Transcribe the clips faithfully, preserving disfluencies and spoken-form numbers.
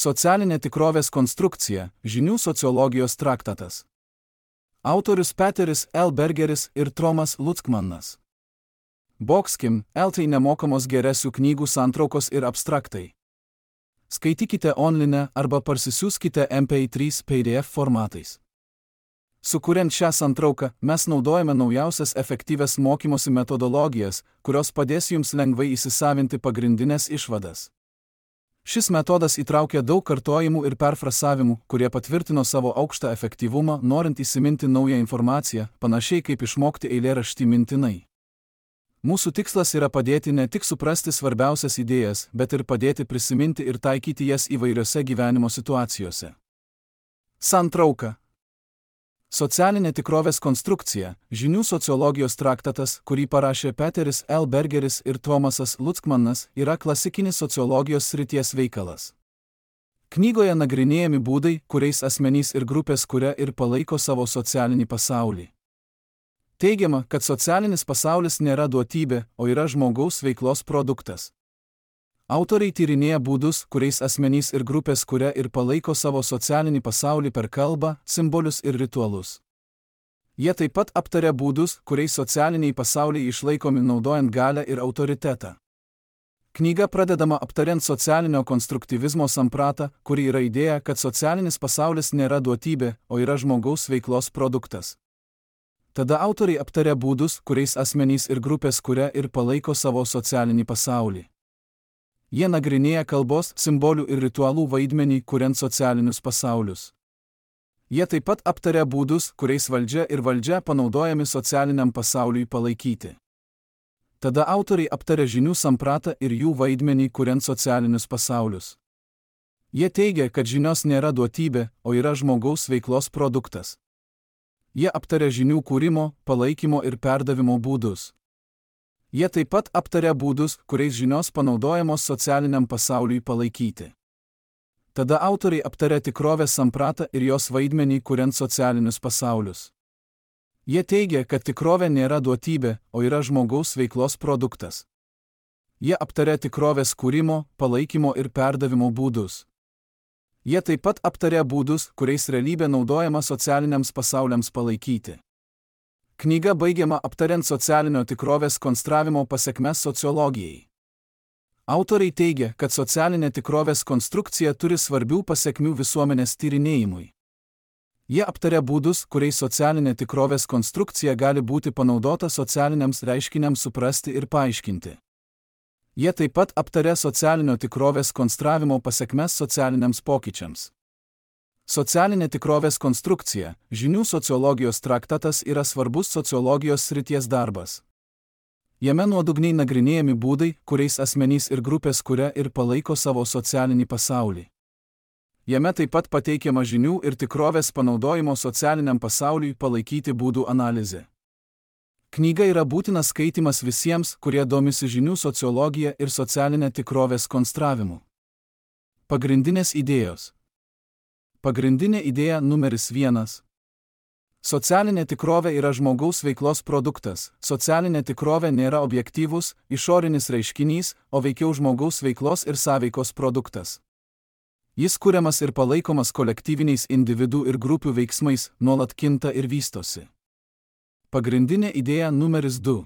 Socialinė tikrovės konstrukcija, žinių sociologijos traktatas. Autorius Peteris L. Bergeris ir Tomas Luckmanas. Bokskim, L. nemokamos geresių knygų santraukos ir abstraktai. Skaitykite online arba parsisiųskite M P trys P D F formatais. Sukuriant šią santrauką, mes naudojame naujausias efektyvias mokymosi metodologijas, kurios padės jums lengvai įsisavinti pagrindinės išvadas. Šis metodas įtraukia daug kartojimų ir perfrasavimų, kurie patvirtino savo aukštą efektyvumą, norint įsiminti naują informaciją, panašiai kaip išmokti eilėraštį mintinai. Mūsų tikslas yra padėti ne tik suprasti svarbiausias idėjas, bet ir padėti prisiminti ir taikyti jas įvairiose gyvenimo situacijose. Santrauka. Socialinė tikrovės konstrukcija, žinių sociologijos traktatas, kurį parašė Peteris L. Bergeris ir Tomasas Luckmanas, yra klasikinis sociologijos srities veikalas. Knygoje nagrinėjami būdai, kuriais asmenys ir grupės kuria ir palaiko savo socialinį pasaulį. Teigiama, kad socialinis pasaulis nėra duotybė, o yra žmogaus veiklos produktas. Autoriai tyrinėja būdus, kuriais asmenys ir grupės kuria ir palaiko savo socialinį pasaulį per kalbą, simbolius ir ritualus. Jie taip pat aptaria būdus, kuriais socialiniai pasauliai išlaikomi naudojant galią ir autoritetą. Knyga pradedama aptariant socialinio konstruktyvizmo sampratą, kuri yra idėja, kad socialinis pasaulis nėra duotybė, o yra žmogaus veiklos produktas. Tada autoriai aptaria būdus, kuriais asmenys ir grupės kuria ir palaiko savo socialinį pasaulį. Jie nagrinėja kalbos, simbolių ir ritualų vaidmenį, kuriant socialinius pasaulius. Jie taip pat aptaria būdus, kuriais valdžia ir valdžia panaudojami socialiniam pasauliui palaikyti. Tada autoriai aptaria žinių sampratą ir jų vaidmenį, kuriant socialinius pasaulius. Jie teigia, kad žinios nėra duotybė, o yra žmogaus veiklos produktas. Jie aptaria žinių kūrimo, palaikymo ir perdavimo būdus. Jie taip pat aptaria būdus, kuriais žinios panaudojamos socialiniam pasauliui palaikyti. Tada autoriai aptaria tikrovės sampratą ir jos vaidmenį, kuriant socialinius pasaulius. Jie teigia, kad tikrovė nėra duotybė, o yra žmogaus veiklos produktas. Jie aptaria tikrovės kūrimo, palaikymo ir perdavimo būdus. Jie taip pat aptaria būdus, kuriais realybė naudojama socialiniams pasauliams palaikyti. Knyga baigiama aptariant socialinio tikrovės konstravimo pasekmes sociologijai. Autoriai teigia, kad socialinė tikrovės konstrukcija turi svarbių pasekmių visuomenės tyrinėjimui. Jie aptaria būdus, kuriais socialinė tikrovės konstrukcija gali būti panaudota socialiniams reiškiniams suprasti ir paaiškinti. Jie taip pat aptaria socialinio tikrovės konstravimo pasekmes socialiniams pokyčiams. Socialinė tikrovės konstrukcija, žinių sociologijos traktatas yra svarbus sociologijos srities darbas. Jame nuodugniai nagrinėjami būdai, kuriais asmenys ir grupės kuria ir palaiko savo socialinį pasaulį. Jame taip pat pateikiama žinių ir tikrovės panaudojimo socialiniam pasauliui palaikyti būdų analizė. Knyga yra būtinas skaitimas visiems, kurie domisi žinių sociologija ir socialinė tikrovės konstravimu. Pagrindinės idėjos. Pagrindinė idėja numeris vienas. Socialinė tikrovė yra žmogaus veiklos produktas. Socialinė tikrovė nėra objektyvus, išorinis reiškinys, o veikiau žmogaus veiklos ir sąveikos produktas. Jis kuriamas ir palaikomas kolektyviniais individų ir grupių veiksmais, nuolat kinta ir vystosi. Pagrindinė idėja numeris du.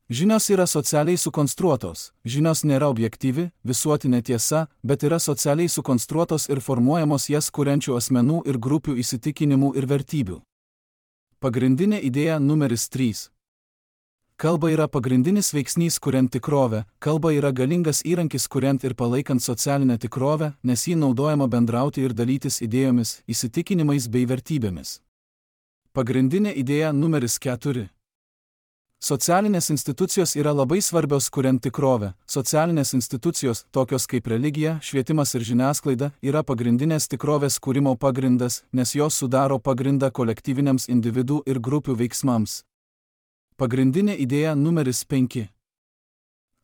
Žinios yra socialiai sukonstruotos. Žinios nėra objektyvi, visuotinė tiesa, bet yra socialiai sukonstruotos ir formuojamos jas kuriančių asmenų ir grupių įsitikinimų ir vertybių. Pagrindinė idėja numeris trys. Kalba yra pagrindinis veiksnys kuriant tikrovę. Kalba yra galingas įrankis kuriant ir palaikant socialinę tikrovę, nes ji naudojama bendrauti ir dalytis idėjomis, įsitikinimais bei vertybėmis. Pagrindinė idėja numeris keturi. Socialinės institucijos yra labai svarbios kuriant tikrovę. Socialinės institucijos, tokios kaip religija, švietimas ir žiniasklaida, yra pagrindinės tikrovės kūrimo pagrindas, nes jos sudaro pagrindą kolektyviniams individų ir grupių veiksmams. Pagrindinė idėja numeris penki.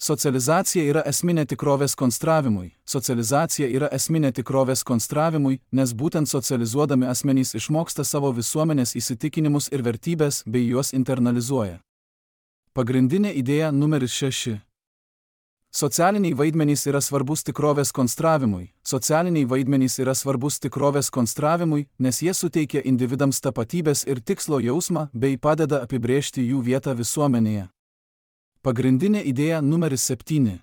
Socializacija yra esminė tikrovės konstravimui. Socializacija yra esminė tikrovės konstravimui, nes būtent socializuodami asmenys išmoksta savo visuomenės įsitikinimus ir vertybės bei juos internalizuoja. Pagrindinė idėja numeris šeši. Socialiniai vaidmenys yra svarbus tikrovės konstravimui. Socialiniai vaidmenys yra svarbus tikrovės konstravimui, nes jie suteikia individams tapatybės ir tikslo jausmą bei padeda apibrėžti jų vietą visuomenėje. Pagrindinė idėja numeris septyni.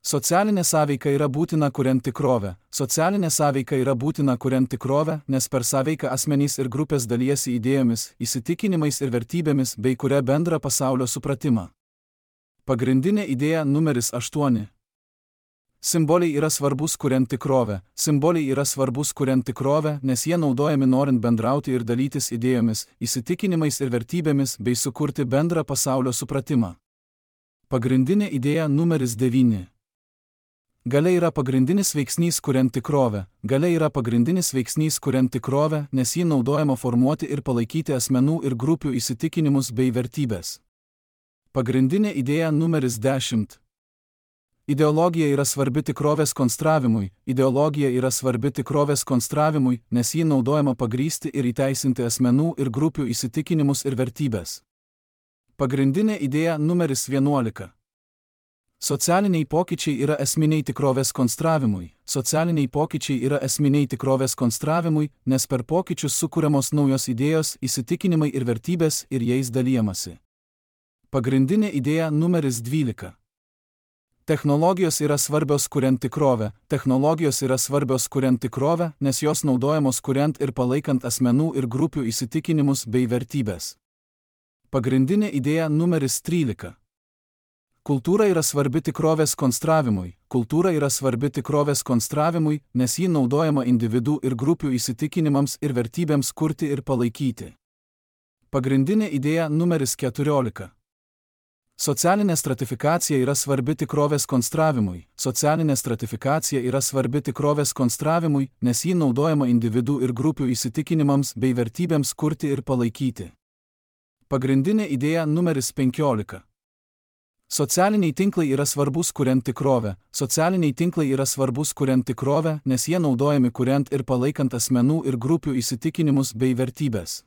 Socialinė sąveika yra būtina kuriant tikrovę. Socialinė sąveika yra būtina kuriant tikrovę, nes per sąveiką asmenys ir grupės dalijasi idėjomis, įsitikinimais ir vertybėmis bei kuria bendrą pasaulio supratimą. Pagrindinė idėja numeris aštuoni. Simboliai yra svarbus kuriant tikrovę. Simboliai yra svarbus kuriant tikrovę, nes jie naudojami norint bendrauti ir dalytis idėjomis, įsitikinimais ir vertybėmis bei sukurti bendrą pasaulio supratimą. Pagrindinė idėja numeris devyni. Galia yra pagrindinis veiksnys kuriant tikrovę. Galia yra pagrindinis veiksnys kuriant tikrovę, nes ji naudojama formuoti ir palaikyti asmenų ir grupių įsitikinimus bei vertybės. Pagrindinė idėja numeris dešimt. Ideologija yra svarbi tikrovės konstravimui. Ideologija yra svarbi tikrovės konstravimui, nes ji naudojama pagrįsti ir įteisinti asmenų ir grupių įsitikinimus ir vertybės. Pagrindinė idėja numeris vienuolika. Socialiniai pokyčiai yra esminiai tikrovės konstravimui. Socialiniai pokyčiai yra esminiai tikrovės konstravimui, nes per pokyčius sukuriamos naujos idėjos, įsitikinimai ir vertybės ir jais dalijamasi. Pagrindinė idėja numeris dvylika. Technologijos yra svarbios kuriant tikrovę. Technologijos yra svarbios kuriant tikrovę, nes jos naudojamos kuriant ir palaikant asmenų ir grupių įsitikinimus bei vertybės. Pagrindinė idėja numeris trylika. Kultūra yra svarbi tikrovės konstravimui. Kultūra yra svarbi tikrovės konstravimui, nes ji naudojama individų ir grupių įsitikinimams ir vertybėms kurti ir palaikyti. Pagrindinė idėja numeris keturiolika. Socialinė stratifikacija yra svarbi tikrovės konstravimui. Socialinė stratifikacija yra svarbi tikrovės konstravimui, nes ji naudojama individų ir grupių įsitikinimams bei vertybėms kurti ir palaikyti. Pagrindinė idėja numeris penkiolika. Socialiniai tinklai yra svarbus kuriant tikrovę. Socialiniai tinklai yra svarbus kuriant tikrovę, nes jie naudojami kuriant ir palaikant asmenų ir grupių įsitikinimus bei vertybės.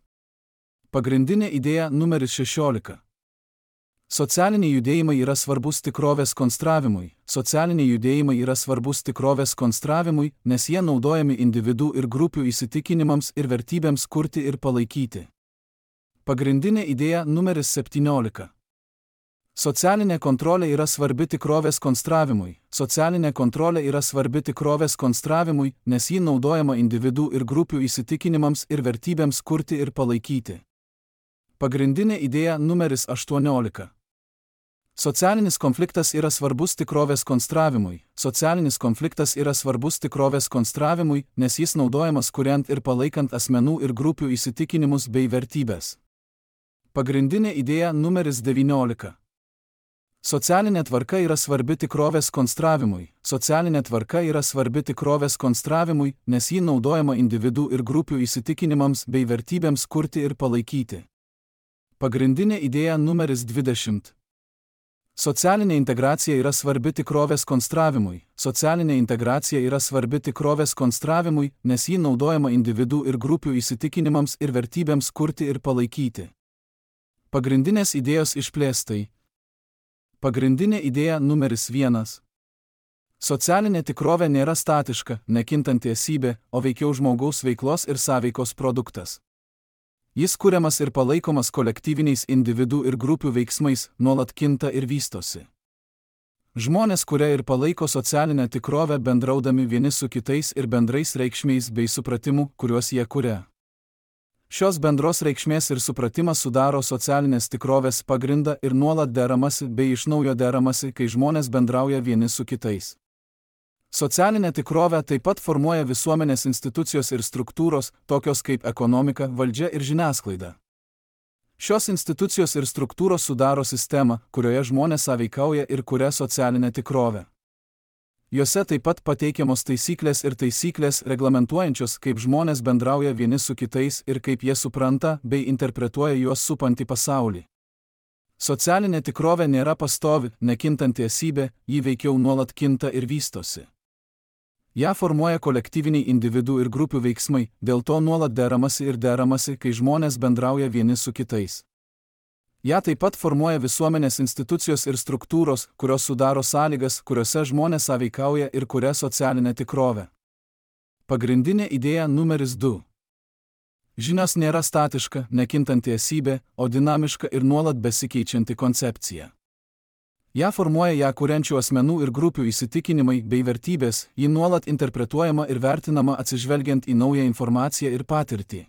Pagrindinė idėja numeris šešiolika. Socialiniai judėjimai yra svarbus tikrovės konstravimui. Socialiniai judėjimai yra svarbus tikrovės konstravimui, nes jie naudojami individų ir grupių įsitikinimams ir vertybėms kurti ir palaikyti. Pagrindinė idėja numeris septyniolika. Socialinė kontrolė yra svarbi tikrovės konstravimui. Socialinė kontrolė yra svarbi tikrovės konstravimui, nes ji naudojama individų ir grupių įsitikinimams ir vertybėms kurti ir palaikyti. Pagrindinė idėja numeris aštuoniolika. Socialinis konfliktas yra svarbus tikrovės konstravimui. Socialinis konfliktas yra svarbus tikrovės konstravimui, nes jis naudojamas kuriant ir palaikant asmenų ir grupių įsitikinimus bei vertybės. Pagrindinė idėja numeris devyniolika. Socialinė tvarka yra svarbi tikrovės konstravimui. Socialinė tvarka yra svarbi tikrovės konstravimui, nes ji naudojama individų ir grupių įsitikinimams bei vertybėms kurti ir palaikyti. Pagrindinė idėja numeris dvidešimt. Socialinė integracija yra svarbi tikrovės konstravimui. Socialinė integracija yra svarbi tikrovės konstravimui, nes ji naudojama individų ir grupių įsitikinimams ir vertybėms kurti ir palaikyti. Pagrindinės idėjos išplėstai. Pagrindinė idėja numeris vienas. Socialinė tikrovė nėra statiška, nekintanti esybė, o veikiau žmogaus veiklos ir sąveikos produktas. Jis kuriamas ir palaikomas kolektyviniais individų ir grupių veiksmais, nuolat kinta ir vystosi. Žmonės kuria ir palaiko socialinę tikrovę bendraudami vieni su kitais ir bendrais reikšmiais bei supratimu, kuriuos jie kuria. Šios bendros reikšmės ir supratimas sudaro socialinės tikrovės pagrindą ir nuolat deramasi bei iš naujo deramasi, kai žmonės bendrauja vieni su kitais. Socialinę tikrovę taip pat formuoja visuomenės institucijos ir struktūros, tokios kaip ekonomika, valdžia ir žiniasklaida. Šios institucijos ir struktūros sudaro sistemą, kurioje žmonės sąveikauja ir kuria socialinę tikrovę. Jose taip pat pateikiamos taisyklės ir taisyklės reglamentuojančios, kaip žmonės bendrauja vieni su kitais ir kaip jie supranta bei interpretuoja juos supantį pasaulį. Socialinė tikrovė nėra pastovi, nekintanti esybė, ji veikiau nuolat kinta ir vystosi. Ja formuoja kolektyviniai individų ir grupių veiksmai, dėl to nuolat deramasi ir deramasi, kai žmonės bendrauja vieni su kitais. Ja taip pat formuoja visuomenės institucijos ir struktūros, kurios sudaro sąlygas, kuriuose žmonės sąveikauja ir kuria socialinę tikrovę. Pagrindinė idėja numeris du. Žinios nėra statiška, nekintanti esybė, o dinamiška ir nuolat besikeičianti koncepcija. Ja formuoja ją kuriančių asmenų ir grupių įsitikinimai bei vertybės, ji nuolat interpretuojama ir vertinama atsižvelgiant į naują informaciją ir patirtį.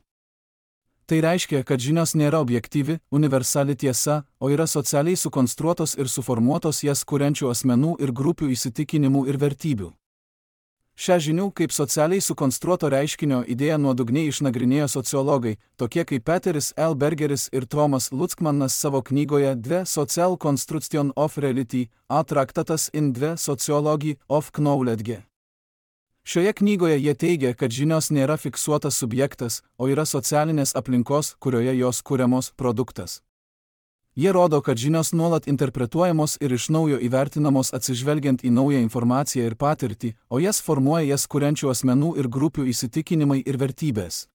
Tai reiškia, kad žinios nėra objektyvi, universali tiesa, o yra socialiai sukonstruotos ir suformuotos jas kuriančių asmenų ir grupių įsitikinimų ir vertybių. Šią žinių kaip socialiai sukonstruoto reiškinio idėją nuodugniai išnagrinėjo sociologai, tokie kaip Peteris L. Bergeris ir Tromas Lutzkmannas savo knygoje The Social Construction of Reality, a traktatas in the Sociology of Knowledge. Šioje knygoje jie teigia, kad žinios nėra fiksuotas subjektas, o yra socialinės aplinkos, kurioje jos kuriamos produktas. Jie rodo, kad žinios nuolat interpretuojamos ir iš naujo įvertinamos atsižvelgiant į naują informaciją ir patirtį, o jas formuoja jas kuriančių asmenų ir grupių įsitikinimai ir vertybės.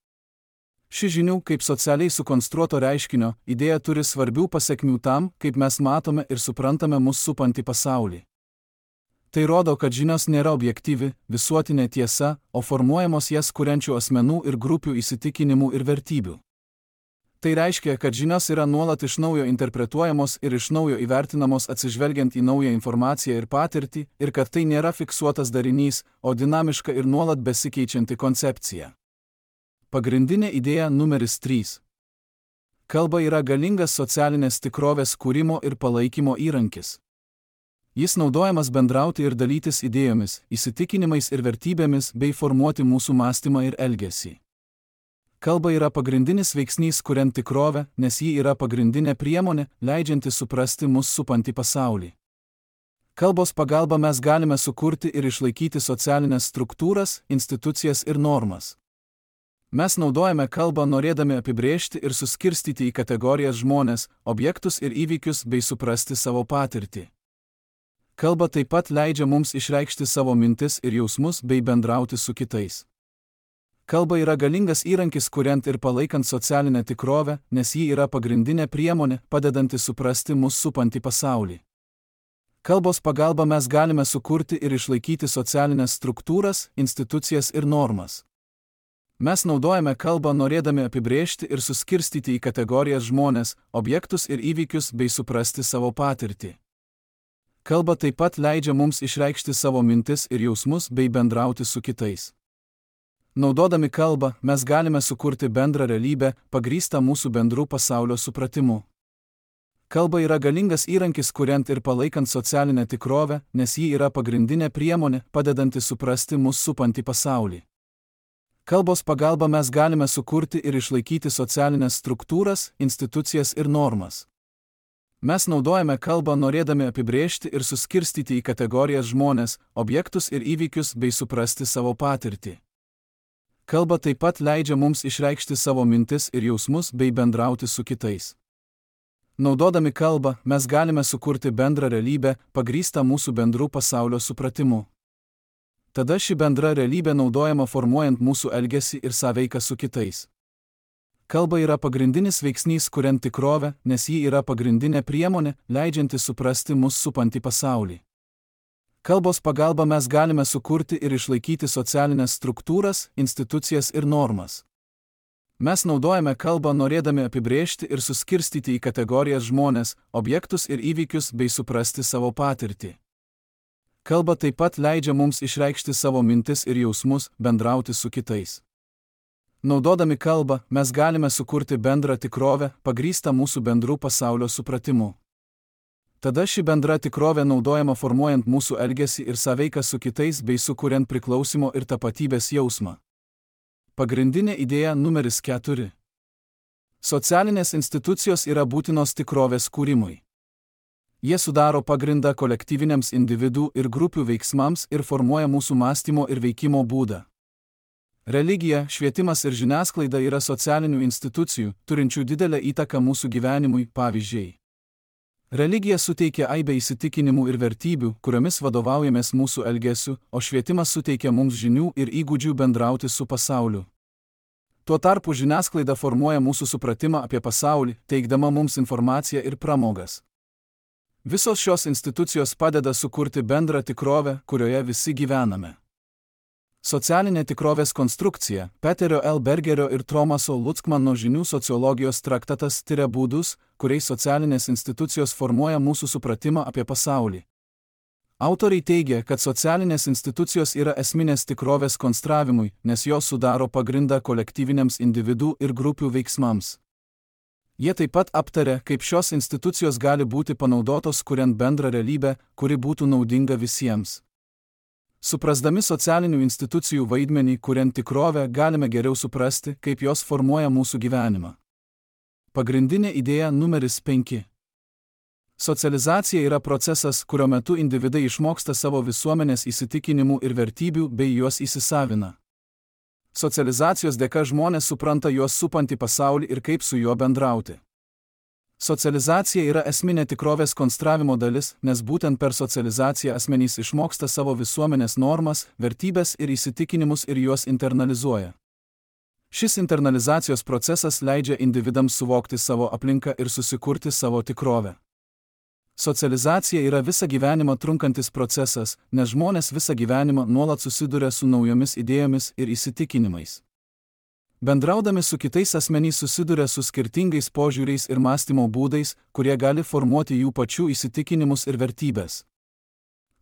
Ši žinių kaip socialiai sukonstruoto reiškinio idėja turi svarbių pasekmių tam, kaip mes matome ir suprantame mus supantį pasaulį. Tai rodo, kad žinios nėra objektyvi, visuotinė tiesa, o formuojamos jas kuriančių asmenų ir grupių įsitikinimų ir vertybių. Tai reiškia, kad žinios yra nuolat iš naujo interpretuojamos ir iš naujo įvertinamos atsižvelgiant į naują informaciją ir patirtį, ir kad tai nėra fiksuotas darinys, o dinamiška ir nuolat besikeičianti koncepcija. Pagrindinė idėja numeris trys. Kalba yra galingas socialinės tikrovės kūrimo ir palaikymo įrankis. Jis naudojamas bendrauti ir dalytis idėjomis, įsitikinimais ir vertybėmis bei formuoti mūsų mąstymą ir elgesį. Kalba yra pagrindinis veiksnys kuriant tikrovę, nes ji yra pagrindinė priemonė, leidžianti suprasti mus supantį pasaulį. Kalbos pagalba mes galime sukurti ir išlaikyti socialinės struktūras, institucijas ir normas. Mes naudojame kalbą norėdami apibrėžti ir suskirstyti į kategorijas žmones, objektus ir įvykius bei suprasti savo patirtį. Kalba taip pat leidžia mums išreikšti savo mintis ir jausmus bei bendrauti su kitais. Kalba yra galingas įrankis kuriant ir palaikant socialinę tikrovę, nes ji yra pagrindinė priemonė, padedanti suprasti mus supantį pasaulį. Kalbos pagalba mes galime sukurti ir išlaikyti socialinės struktūras, institucijas ir normas. Mes naudojame kalbą norėdami apibrėžti ir suskirstyti į kategorijas žmones, objektus ir įvykius bei suprasti savo patirtį. Kalba taip pat leidžia mums išreikšti savo mintis ir jausmus bei bendrauti su kitais. Naudodami kalbą, mes galime sukurti bendrą realybę, pagrįstą mūsų bendrų pasaulio supratimu. Kalba yra galingas įrankis kuriant ir palaikant socialinę tikrovę, nes ji yra pagrindinė priemonė, padedanti suprasti mus supantį pasaulį. Kalbos pagalba mes galime sukurti ir išlaikyti socialinės struktūras, institucijas ir normas. Mes naudojame kalbą norėdami apibrėžti ir suskirstyti į kategorijas žmones, objektus ir įvykius bei suprasti savo patirtį. Kalba taip pat leidžia mums išreikšti savo mintis ir jausmus bei bendrauti su kitais. Naudodami kalbą, mes galime sukurti bendrą realybę, pagrįstą mūsų bendrų pasaulio supratimu. Tada ši bendra realybė naudojama formuojant mūsų elgesį ir sąveiką su kitais. Kalba yra pagrindinis veiksnys kuriant tikrovę, nes ji yra pagrindinė priemonė, leidžianti suprasti mus supantį pasaulį. Kalbos pagalba mes galime sukurti ir išlaikyti socialinės struktūras, institucijas ir normas. Mes naudojame kalbą norėdami apibrėžti ir suskirstyti į kategorijas žmones, objektus ir įvykius bei suprasti savo patirtį. Kalba taip pat leidžia mums išreikšti savo mintis ir jausmus, bendrauti su kitais. Naudodami kalbą, mes galime sukurti bendrą tikrovę, pagrįstą mūsų bendrų pasaulio supratimu. Tada ši bendra tikrovė naudojama formuojant mūsų elgesį ir sąveiką su kitais bei sukuriant priklausimo ir tapatybės jausmą. Pagrindinė idėja numeris keturi. Socialinės institucijos yra būtinos tikrovės kūrimui. Jie sudaro pagrindą kolektyviniams individų ir grupių veiksmams ir formuoja mūsų mąstymo ir veikimo būdą. Religija, švietimas ir žiniasklaida yra socialinių institucijų, turinčių didelę įtaką mūsų gyvenimui, pavyzdžiai. Religija suteikia aibę įsitikinimų ir vertybių, kuriomis vadovaujamės mūsų elgesiu, o švietimas suteikia mums žinių ir įgūdžių bendrauti su pasauliu. Tuo tarpu žiniasklaida formuoja mūsų supratimą apie pasaulį, teikdama mums informaciją ir pramogas. Visos šios institucijos padeda sukurti bendrą tikrovę, kurioje visi gyvename. Socialinė tikrovės konstrukcija, Peterio L. Bergerio ir Thomaso Lutzkmano žinių sociologijos traktatas tiria būdus, kuriais socialinės institucijos formuoja mūsų supratimą apie pasaulį. Autoriai teigia, kad socialinės institucijos yra esminės tikrovės konstravimui, nes jos sudaro pagrindą kolektyviniams individų ir grupių veiksmams. Jie taip pat aptaria, kaip šios institucijos gali būti panaudotos kuriant bendrą realybę, kuri būtų naudinga visiems. Suprasdami socialinių institucijų vaidmenį kuriant tikrovę, galime geriau suprasti, kaip jos formuoja mūsų gyvenimą. Pagrindinė idėja numeris penki. Socializacija yra procesas, kurio metu individai išmoksta savo visuomenės įsitikinimų ir vertybių bei juos įsisavina. Socializacijos dėka žmonės supranta juos supantį pasaulį ir kaip su juo bendrauti. Socializacija yra esminė tikrovės konstravimo dalis, nes būtent per socializaciją asmenys išmoksta savo visuomenės normas, vertybės ir įsitikinimus ir juos internalizuoja. Šis internalizacijos procesas leidžia individams suvokti savo aplinką ir susikurti savo tikrovę. Socializacija yra visą gyvenimą trunkantis procesas, nes žmonės visą gyvenimą nuolat susiduria su naujomis idėjomis ir įsitikinimais. Bendraudami su kitais asmenys susiduria su skirtingais požiūriais ir mąstymo būdais, kurie gali formuoti jų pačių įsitikinimus ir vertybės.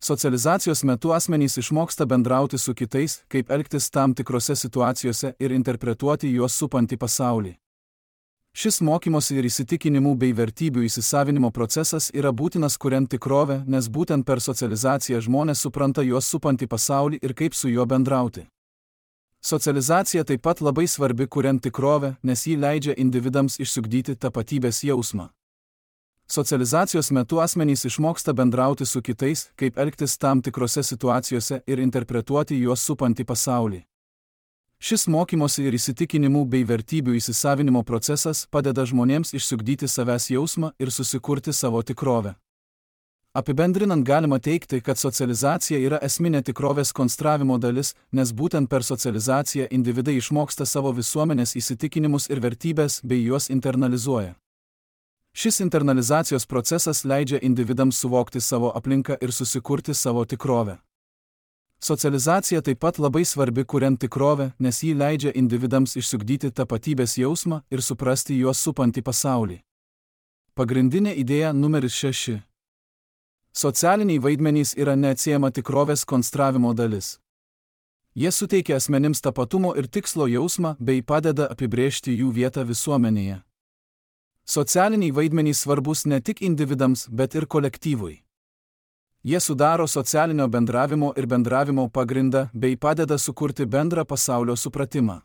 Socializacijos metu asmenys išmoksta bendrauti su kitais, kaip elgtis tam tikrose situacijose ir interpretuoti juos supantį pasaulį. Šis mokymosi ir įsitikinimų bei vertybių įsisavinimo procesas yra būtinas kuriant tikrovę, nes būtent per socializaciją žmonės supranta juos supantį pasaulį ir kaip su juo bendrauti. Socializacija taip pat labai svarbi kuriant tikrovę, nes ji leidžia individams išsiugdyti tapatybės jausmą. Socializacijos metu asmenys išmoksta bendrauti su kitais, kaip elgtis tam tikrose situacijose ir interpretuoti juos supantį pasaulį. Šis mokymosi ir įsitikinimų bei vertybių įsisavinimo procesas padeda žmonėms išsiugdyti savęs jausmą ir susikurti savo tikrovę. Apibendrinant galima teigti, kad socializacija yra esminė tikrovės konstravimo dalis, nes būtent per socializaciją individai išmoksta savo visuomenės įsitikinimus ir vertybės bei juos internalizuoja. Šis internalizacijos procesas leidžia individams suvokti savo aplinką ir susikurti savo tikrovę. Socializacija taip pat labai svarbi kuriant tikrovę, nes ji leidžia individams išsiugdyti tapatybės jausmą ir suprasti juos supantį pasaulį. Pagrindinė idėja numeris šeši. Socialiniai vaidmenys yra neatsiejama tikrovės konstravimo dalis. Jie suteikia asmenims tapatumo ir tikslo jausmą bei padeda apibrėžti jų vietą visuomenėje. Socialiniai vaidmenys svarbus ne tik individams, bet ir kolektyvui. Jie sudaro socialinio bendravimo ir bendravimo pagrindą bei padeda sukurti bendrą pasaulio supratimą.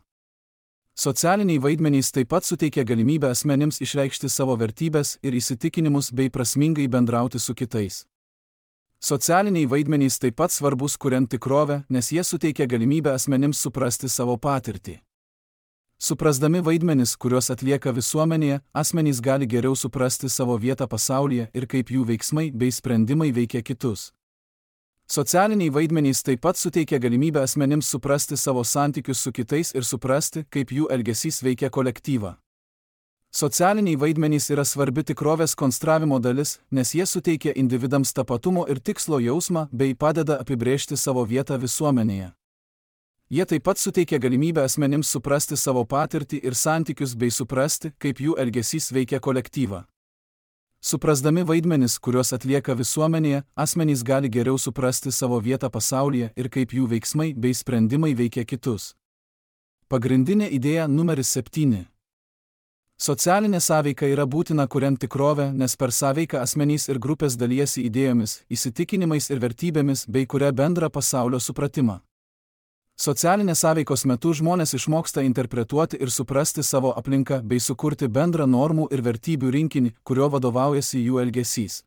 Socialiniai vaidmenys taip pat suteikia galimybę asmenims išreikšti savo vertybės ir įsitikinimus bei prasmingai bendrauti su kitais. Socialiniai vaidmenys taip pat svarbus kuriant tikrovę, nes jie suteikia galimybę asmenims suprasti savo patirtį. Suprasdami vaidmenis, kuriuos atlieka visuomenėje, asmenys gali geriau suprasti savo vietą pasaulyje ir kaip jų veiksmai bei sprendimai veikia kitus. Socialiniai vaidmenys taip pat suteikia galimybę asmenims suprasti savo santykius su kitais ir suprasti, kaip jų elgesys veikia kolektyvą. Socialiniai vaidmenys yra svarbi tikrovės konstravimo dalis, nes jie suteikia individams tapatumo ir tikslo jausmą bei padeda apibrėžti savo vietą visuomenėje. Jie taip pat suteikia galimybę asmenims suprasti savo patirtį ir santykius bei suprasti, kaip jų elgesys veikia kolektyvą. Suprasdami vaidmenis, kuriuos atlieka visuomenėje, asmenys gali geriau suprasti savo vietą pasaulyje ir kaip jų veiksmai bei sprendimai veikia kitus. Pagrindinė idėja numeris septyni. Socialinė sąveika yra būtina kuriant tikrovę, nes per sąveiką asmenys ir grupės dalijasi idėjomis, įsitikinimais ir vertybėmis bei kuria bendrą pasaulio supratimą. Socialinės sąveikos metu žmonės išmoksta interpretuoti ir suprasti savo aplinką bei sukurti bendrą normų ir vertybių rinkinį, kurio vadovaujasi jų elgesys.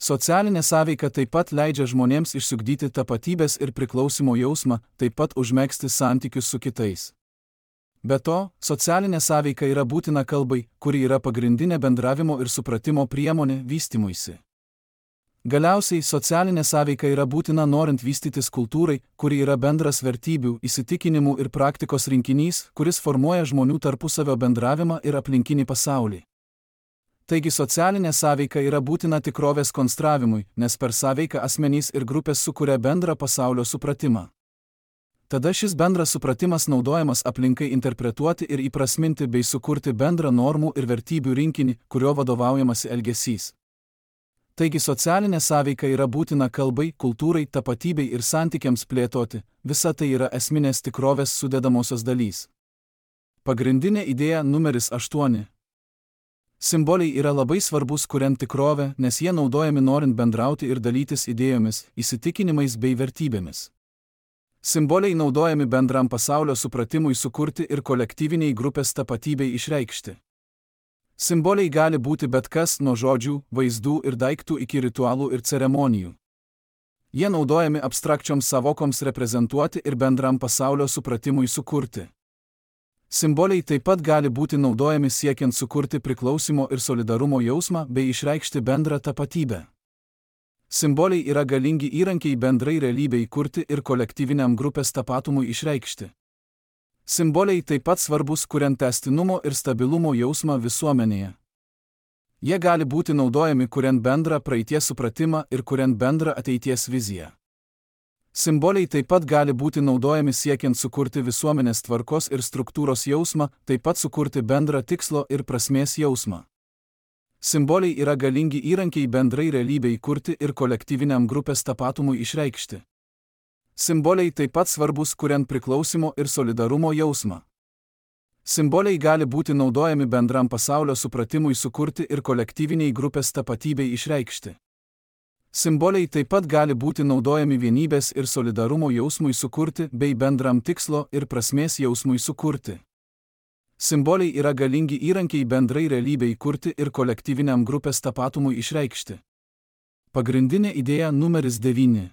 Socialinė sąveika taip pat leidžia žmonėms išsiugdyti tapatybės ir priklausimo jausmą, taip pat užmegzti santykius su kitais. Be to, socialinė sąveika yra būtina kalbai, kuri yra pagrindinė bendravimo ir supratimo priemonė vystymuisi. Galiausiai socialinė sąveika yra būtina norint vystytis kultūrai, kuri yra bendras vertybių, įsitikinimų ir praktikos rinkinys, kuris formuoja žmonių tarpusavio bendravimą ir aplinkinį pasaulį. Taigi socialinė sąveika yra būtina tikrovės konstravimui, nes per sąveiką asmenys ir grupės sukuria bendrą pasaulio supratimą. Tada šis bendras supratimas naudojamas aplinkai interpretuoti ir įprasminti bei sukurti bendrą normų ir vertybių rinkinį, kurio vadovaujamasi elgesys. Taigi socialinė sąveika yra būtina kalbai, kultūrai, tapatybei ir santykiams plėtoti, visa tai yra esminės tikrovės sudedamosios dalys. Pagrindinė idėja numeris aštuoni. Simboliai yra labai svarbus kuriant tikrovę, nes jie naudojami norint bendrauti ir dalytis idėjomis, įsitikinimais bei vertybėmis. Simboliai naudojami bendram pasaulio supratimui sukurti ir kolektyviniai grupės tapatybei išreikšti. Simboliai gali būti bet kas nuo žodžių, vaizdų ir daiktų iki ritualų ir ceremonijų. Jie naudojami abstrakčioms savokoms reprezentuoti ir bendram pasaulio supratimui sukurti. Simboliai taip pat gali būti naudojami siekiant sukurti priklausimo ir solidarumo jausmą bei išreikšti bendrą tapatybę. Simboliai yra galingi įrankiai bendrai realybei kurti ir kolektyviniam grupės tapatumui išreikšti. Simboliai taip pat svarbus kuriant tęstinumo ir stabilumo jausmą visuomenėje. Jie gali būti naudojami kuriant bendrą praeities supratimą ir kuriant bendrą ateities viziją. Simboliai taip pat gali būti naudojami siekiant sukurti visuomenės tvarkos ir struktūros jausmą, taip pat sukurti bendrą tikslo ir prasmės jausmą. Simboliai yra galingi įrankiai bendrai realybei kurti ir kolektyviniam grupės tapatumui išreikšti. Simboliai taip pat svarbus kuriant priklausimo ir solidarumo jausmą. Simboliai gali būti naudojami bendram pasaulio supratimui sukurti ir kolektyviniai grupės tapatybei išreikšti. Simboliai taip pat gali būti naudojami vienybės ir solidarumo jausmui sukurti bei bendram tikslo ir prasmės jausmui sukurti. Simboliai yra galingi įrankiai bendrai realybei kurti ir kolektyviniam grupės tapatumui išreikšti. Pagrindinė idėja numeris devyni.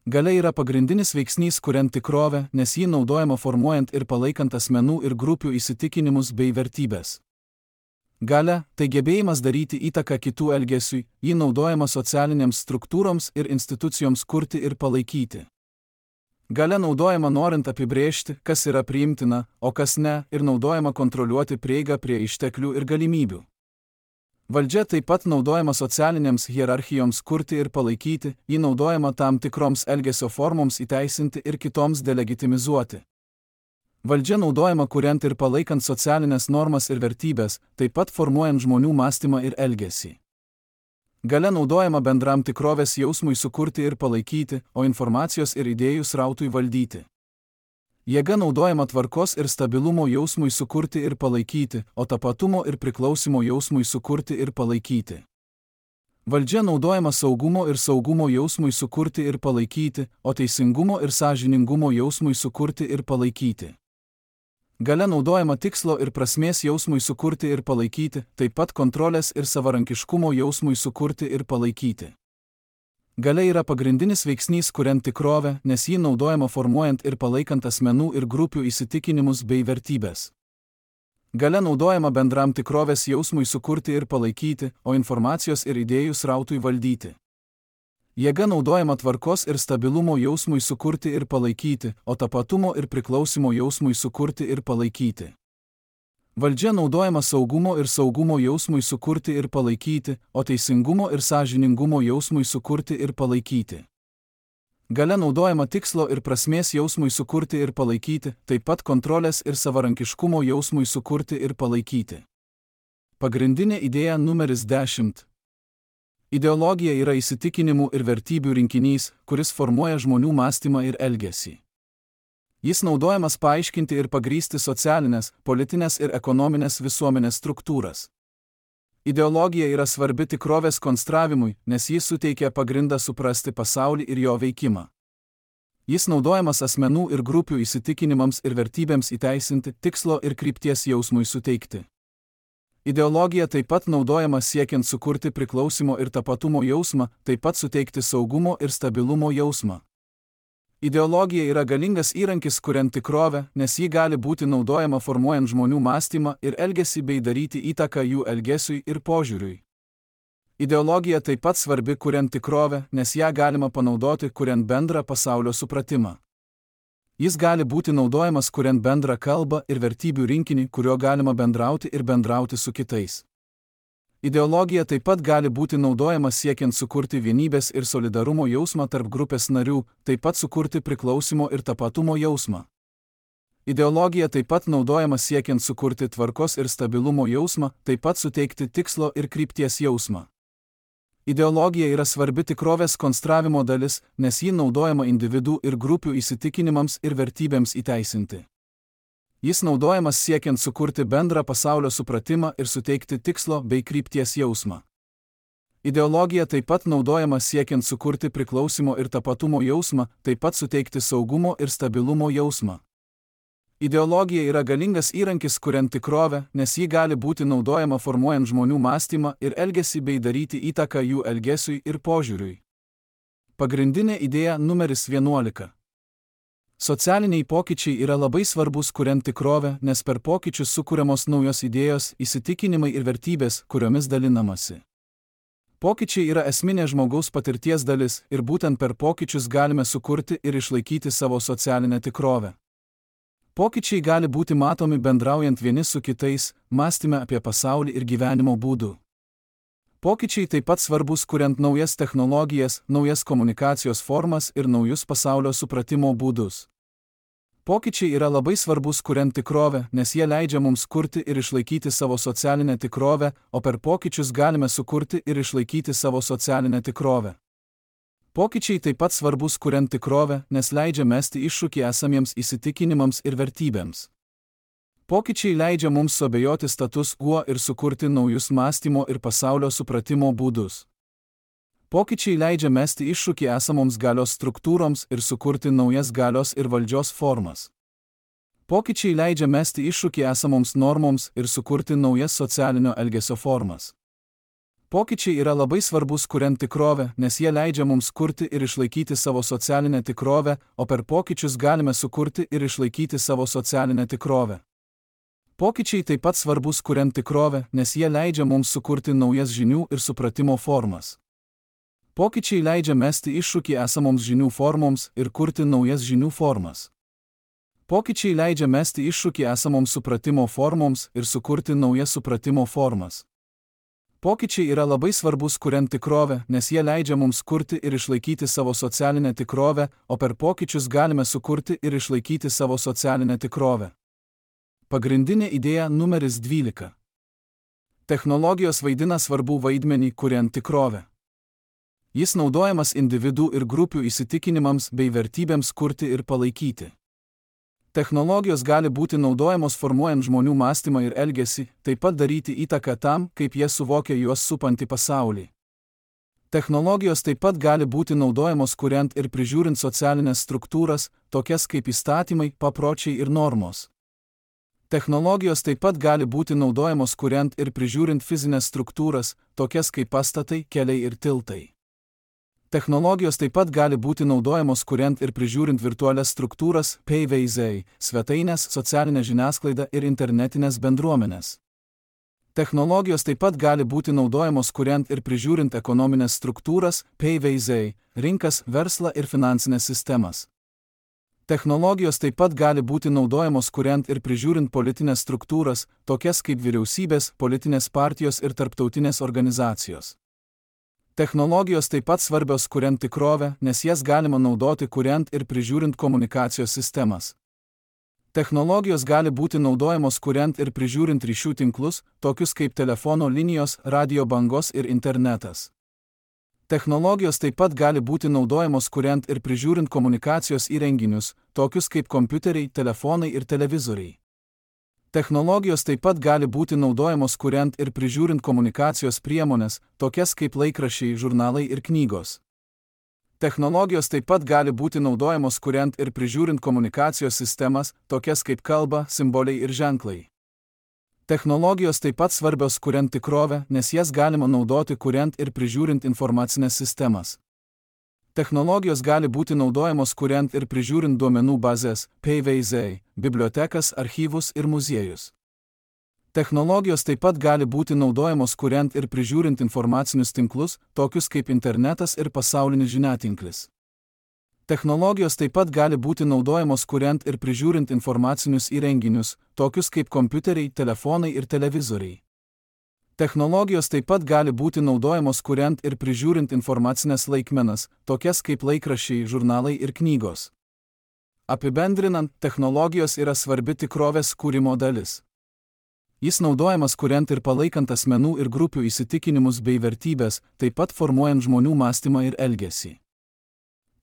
Galia yra pagrindinis veiksnys kuriant tikrovę, nes ji naudojama formuojant ir palaikant asmenų ir grupių įsitikinimus bei vertybės. Galia – tai gebėjimas daryti įtaką kitų elgesiui, ji naudojama socialinėms struktūroms ir institucijoms kurti ir palaikyti. Galia naudojama norint apibrėžti, kas yra priimtina, o kas ne, ir naudojama kontroliuoti prieigą prie išteklių ir galimybių. Valdžia taip pat naudojama socialinėms hierarchijoms kurti ir palaikyti, ji naudojama tam tikroms elgesio formoms įteisinti ir kitoms delegitimizuoti. Valdžia naudojama kuriant ir palaikant socialinės normas ir vertybės, taip pat formuojant žmonių mąstymą ir elgesį. Galia naudojama bendram tikrovės jausmui sukurti ir palaikyti, o informacijos ir idėjų srautui valdyti. Jėga naudojama tvarkos ir stabilumo jausmui sukurti ir palaikyti, o tapatumo ir priklausimo jausmui sukurti ir palaikyti. Valdžia naudojama saugumo ir saugumo jausmui sukurti ir palaikyti, o teisingumo ir sąžiningumo jausmui sukurti ir palaikyti. Galia naudojama tikslo ir prasmės jausmui sukurti ir palaikyti, taip pat kontrolės ir savarankiškumo jausmui sukurti ir palaikyti. Galia yra pagrindinis veiksnys kuriant tikrovę, nes ji naudojama formuojant ir palaikant asmenų ir grupių įsitikinimus bei vertybės. Galia naudojama bendram tikrovės jausmui sukurti ir palaikyti, o informacijos ir idėjų srautui valdyti. Jėga naudojama tvarkos ir stabilumo jausmui sukurti ir palaikyti, o tapatumo ir priklausimo jausmui sukurti ir palaikyti. Valdžia naudojama saugumo ir saugumo jausmui sukurti ir palaikyti, o teisingumo ir sąžiningumo jausmui sukurti ir palaikyti. Galia naudojama tikslo ir prasmės jausmui sukurti ir palaikyti, taip pat kontrolės ir savarankiškumo jausmui sukurti ir palaikyti. Pagrindinė idėja numeris dešimt. Ideologija yra įsitikinimų ir vertybių rinkinys, kuris formuoja žmonių mąstymą ir elgesį. Jis naudojamas paaiškinti ir pagrįsti socialinės, politinės ir ekonominės visuomenės struktūras. Ideologija yra svarbi tikrovės konstravimui, nes jis suteikia pagrindą suprasti pasaulį ir jo veikimą. Jis naudojamas asmenų ir grupių įsitikinimams ir vertybėms įteisinti, tikslo ir krypties jausmui suteikti. Ideologija taip pat naudojama siekiant sukurti priklausimo ir tapatumo jausmą, taip pat suteikti saugumo ir stabilumo jausmą. Ideologija yra galingas įrankis kuriant tikrovę, nes ji gali būti naudojama formuojant žmonių mąstymą ir elgesį bei daryti įtaką jų elgesiui ir požiūriui. Ideologija taip pat svarbi kuriant tikrovę, nes ją galima panaudoti kuriant bendrą pasaulio supratimą. Jis gali būti naudojamas kuriant bendrą kalbą ir vertybių rinkinį, kuriuo galima bendrauti ir bendrauti su kitais. Ideologija taip pat gali būti naudojama siekiant sukurti vienybės ir solidarumo jausmą tarp grupės narių, taip pat sukurti priklausimo ir tapatumo jausmą. Ideologija taip pat naudojama siekiant sukurti tvarkos ir stabilumo jausmą, taip pat suteikti tikslo ir krypties jausmą. Ideologija yra svarbi tikrovės konstravimo dalis, nes ji naudojama individų ir grupių įsitikinimams ir vertybėms įteisinti. Jis naudojamas siekiant sukurti bendrą pasaulio supratimą ir suteikti tikslo bei krypties jausmą. Ideologija taip pat naudojama siekiant sukurti priklausimo ir tapatumo jausmą, taip pat suteikti saugumo ir stabilumo jausmą. Ideologija yra galingas įrankis kuriant tikrovę, nes ji gali būti naudojama formuojant žmonių mąstymą ir elgesį bei daryti įtaką jų elgesiui ir požiūriui. Pagrindinė idėja numeris vienuolika. Socialiniai pokyčiai yra labai svarbus kuriant tikrovę, nes per pokyčius sukuriamos naujos idėjos, įsitikinimai ir vertybės, kuriomis dalinamasi. Pokyčiai yra esminė žmogaus patirties dalis ir būtent per pokyčius galime sukurti ir išlaikyti savo socialinę tikrovę. Pokyčiai gali būti matomi bendraujant vieni su kitais, mąstyme apie pasaulį ir gyvenimo būdų. Pokyčiai taip pat svarbus kuriant naujas technologijas, naujas komunikacijos formas ir naujus pasaulio supratimo būdus. Pokyčiai yra labai svarbus kuriant tikrovę, nes jie leidžia mums kurti ir išlaikyti savo socialinę tikrovę, o per pokyčius galime sukurti ir išlaikyti savo socialinę tikrovę. Pokyčiai taip pat svarbus kuriant tikrovę, nes leidžia mesti iššūkį esamiems įsitikinimams ir vertybėms. Pokyčiai leidžia mums suabejoti status quo ir sukurti naujus mąstymo ir pasaulio supratimo būdus. Pokyčiai leidžia mesti iššūkį esamoms galios struktūroms ir sukurti naujas galios ir valdžios formas. Pokyčiai leidžia mesti iššūkį esamoms normoms ir sukurti naujas socialinio elgesio formas. Pokyčiai yra labai svarbus kuriant tikrovę, nes jie leidžia mums kurti ir išlaikyti savo socialinę tikrovę, o per pokyčius galime sukurti ir išlaikyti savo socialinę tikrovę. Pokyčiai taip pat svarbus kuriant tikrovę, nes jie leidžia mums sukurti naujas žinių ir supratimo formas. Pokyčiai leidžia mesti iššūkį esamoms žinių formoms ir kurti naujas žinių formas. Pokyčiai leidžia mesti iššūkį esamoms supratimo formoms ir sukurti naujas supratimo formas. Pokyčiai yra labai svarbus kuriant tikrovę, nes jie leidžia mums kurti ir išlaikyti savo socialinę tikrovę, o per pokyčius galime sukurti ir išlaikyti savo socialinę tikrovę. Pagrindinė idėja numeris dvylika. Technologijos vaidina svarbų vaidmenį kuriant tikrovę. Jis naudojamas individų ir grupių įsitikinimams bei vertybėms kurti ir palaikyti. Technologijos gali būti naudojamos formuojant žmonių mąstymą ir elgesį, taip pat daryti įtaką tam, kaip jie suvokia juos supantį pasaulį. Technologijos taip pat gali būti naudojamos kuriant ir prižiūrint socialinės struktūras, tokias kaip įstatymai, papročiai ir normos. Technologijos taip pat gali būti naudojamos kuriant ir prižiūrint fizinės struktūras, tokias kaip pastatai, keliai ir tiltai. Technologijos taip pat gali būti naudojamos kuriant ir prižiūrint virtualias struktūras, P V Z, svetainės, socialinę žiniasklaidą ir internetinės bendruomenės. Technologijos taip pat gali būti naudojamos kuriant ir prižiūrint ekonominės struktūras, P V Z, rinkas, verslą ir finansinės sistemas. Technologijos taip pat gali būti naudojamos kuriant ir prižiūrint politinės struktūras, tokias kaip vyriausybės, politinės partijos ir tarptautinės organizacijos. Technologijos taip pat svarbios kuriant tikrovę, nes jas galima naudoti kuriant ir prižiūrint komunikacijos sistemas. Technologijos gali būti naudojamos kuriant ir prižiūrint ryšių tinklus, tokius kaip telefono linijos, radio bangos ir internetas. Technologijos taip pat gali būti naudojamos kuriant ir prižiūrint komunikacijos įrenginius, tokius kaip kompiuteriai, telefonai ir televizoriai. Technologijos taip pat gali būti naudojamos kuriant ir prižiūrint komunikacijos priemonės, tokias kaip laikraščiai, žurnalai ir knygos. Technologijos taip pat gali būti naudojamos kuriant ir prižiūrint komunikacijos sistemas, tokias kaip kalba, simboliai ir ženklai. Technologijos taip pat svarbios kuriant tikrovę, nes jas galima naudoti kuriant ir prižiūrint informacinės sistemas. Technologijos gali būti naudojamos kuriant ir prižiūrint duomenų bazės, P V Z, bibliotekas, archyvus ir muziejus. Technologijos taip pat gali būti naudojamos kuriant ir prižiūrint informacinius tinklus, tokius kaip internetas ir pasaulinis žiniatinklis. Technologijos taip pat gali būti naudojamos kuriant ir prižiūrint informacinius įrenginius, tokius kaip kompiuteriai, telefonai ir televizoriai. Technologijos taip pat gali būti naudojamos kuriant ir prižiūrint informacinės laikmenas, tokias kaip laikraščiai, žurnalai ir knygos. Apibendrinant, technologijos yra svarbi tikrovės kūrimo dalis. Jis naudojamas kuriant ir palaikant asmenų ir grupių įsitikinimus bei vertybės, taip pat formuojant žmonių mąstymą ir elgesį.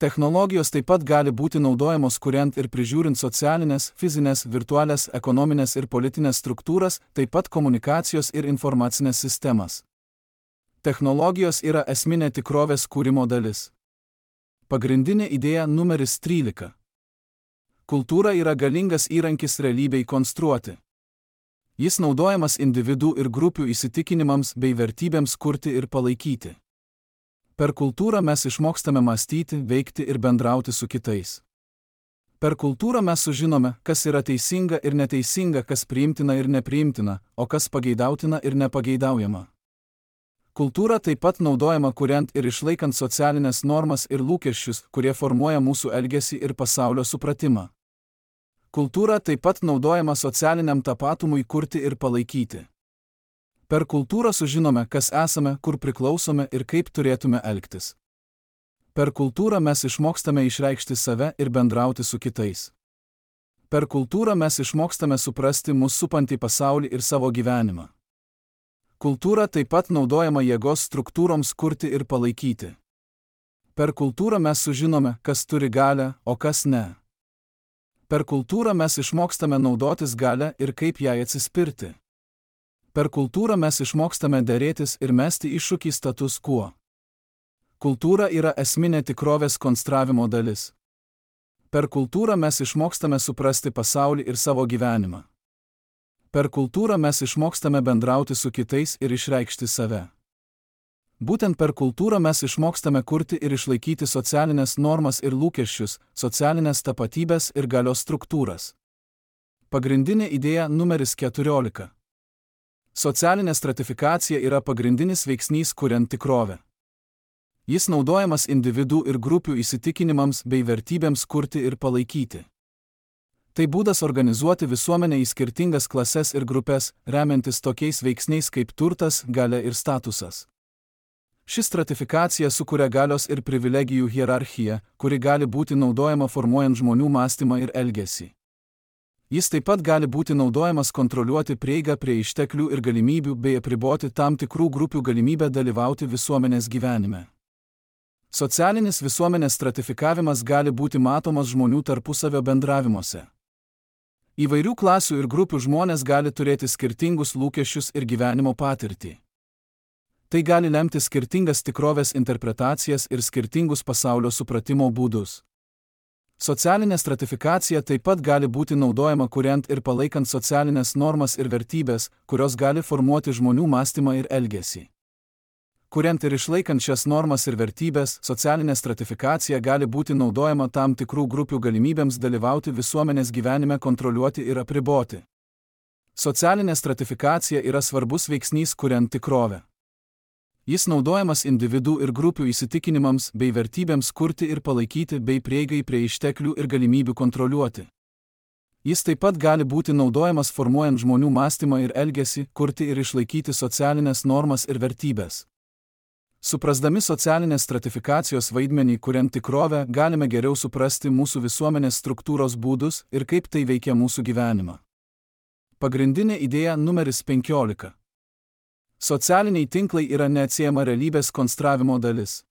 Technologijos taip pat gali būti naudojamos kuriant ir prižiūrint socialinės, fizinės, virtualias, ekonominės ir politinės struktūras, taip pat komunikacijos ir informacinės sistemas. Technologijos yra esminė tikrovės kūrimo dalis. Pagrindinė idėja numeris trylika. Kultūra yra galingas įrankis realybei konstruoti. Jis naudojamas individų ir grupių įsitikinimams bei vertybėms kurti ir palaikyti. Per kultūrą mes išmokstame mąstyti, veikti ir bendrauti su kitais. Per kultūrą mes sužinome, kas yra teisinga ir neteisinga, kas priimtina ir nepriimtina, o kas pageidautina ir nepageidaujama. Kultūra taip pat naudojama kuriant ir išlaikant socialinės normas ir lūkesčius, kurie formuoja mūsų elgesį ir pasaulio supratimą. Kultūra taip pat naudojama socialiniam tapatumui kurti ir palaikyti. Per kultūrą sužinome, kas esame, kur priklausome ir kaip turėtume elgtis. Per kultūrą mes išmokstame išreikšti save ir bendrauti su kitais. Per kultūrą mes išmokstame suprasti mus supantį pasaulį ir savo gyvenimą. Kultūra taip pat naudojama jėgos struktūroms kurti ir palaikyti. Per kultūrą mes sužinome, kas turi galią, o kas ne. Per kultūrą mes išmokstame naudotis galią ir kaip jai atsispirti. Per kultūrą mes išmokstame derėtis ir mesti iššūkį status quo. Kultūra yra esminė tikrovės konstravimo dalis. Per kultūrą mes išmokstame suprasti pasaulį ir savo gyvenimą. Per kultūrą mes išmokstame bendrauti su kitais ir išreikšti save. Būtent per kultūrą mes išmokstame kurti ir išlaikyti socialinės normas ir lūkesčius, socialinės tapatybės ir galios struktūras. Pagrindinė idėja numeris keturiolika. Socialinė stratifikacija yra pagrindinis veiksnys kuriant tikrovę. Jis naudojamas individų ir grupių įsitikinimams bei vertybėms kurti ir palaikyti. Tai būdas organizuoti visuomenę į skirtingas klases ir grupės, remiantis tokiais veiksniais kaip turtas, galia ir statusas. Ši stratifikacija sukuria galios ir privilegijų hierarchiją, kuri gali būti naudojama formuojant žmonių mąstymą ir elgesį. Jis taip pat gali būti naudojamas kontroliuoti prieigą prie išteklių ir galimybių bei apriboti tam tikrų grupių galimybę dalyvauti visuomenės gyvenime. Socialinis visuomenės stratifikavimas gali būti matomas žmonių tarpusavio bendravimuose. Įvairių klasių ir grupių žmonės gali turėti skirtingus lūkesčius ir gyvenimo patirtį. Tai gali lemti skirtingas tikrovės interpretacijas ir skirtingus pasaulio supratimo būdus. Socialinė stratifikacija taip pat gali būti naudojama kuriant ir palaikant socialinės normas ir vertybės, kurios gali formuoti žmonių mąstymą ir elgesį. Kuriant ir išlaikant šias normas ir vertybės, socialinė stratifikacija gali būti naudojama tam tikrų grupių galimybėms dalyvauti visuomenės gyvenime, kontroliuoti ir apriboti. Socialinė stratifikacija yra svarbus veiksnys kuriant tikrovę. Jis naudojamas individų ir grupių įsitikinimams bei vertybėms kurti ir palaikyti bei prieigai prie išteklių ir galimybių kontroliuoti. Jis taip pat gali būti naudojamas formuojant žmonių mąstymą ir elgesį, kurti ir išlaikyti socialinės normas ir vertybės. Suprasdami socialinės stratifikacijos vaidmenį kuriant tikrovę, galime geriau suprasti mūsų visuomenės struktūros būdus ir kaip tai veikia mūsų gyvenimą. Pagrindinė idėja numeris penkiolika. Socialiniai tinklai yra neatsiejama realybės konstravimo dalis.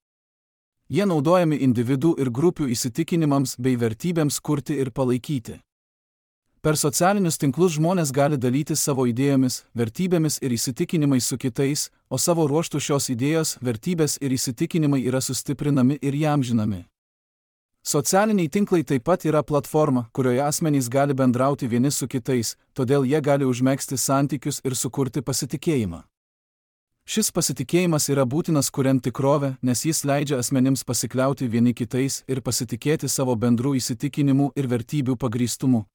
Jie naudojami individų ir grupių įsitikinimams bei vertybėms kurti ir palaikyti. Per socialinius tinklus žmonės gali dalytis savo idėjomis, vertybėmis ir įsitikinimais su kitais, o savo ruožtu šios idėjos, vertybės ir įsitikinimai yra sustiprinami ir įamžinami. Socialiniai tinklai taip pat yra platforma, kurioje asmenys gali bendrauti vieni su kitais, todėl jie gali užmegzti santykius ir sukurti pasitikėjimą. Šis pasitikėjimas yra būtinas kuriant tikrovę, nes jis leidžia asmenims pasikliauti vieni kitais ir pasitikėti savo bendrų įsitikinimų ir vertybių pagrįstumu.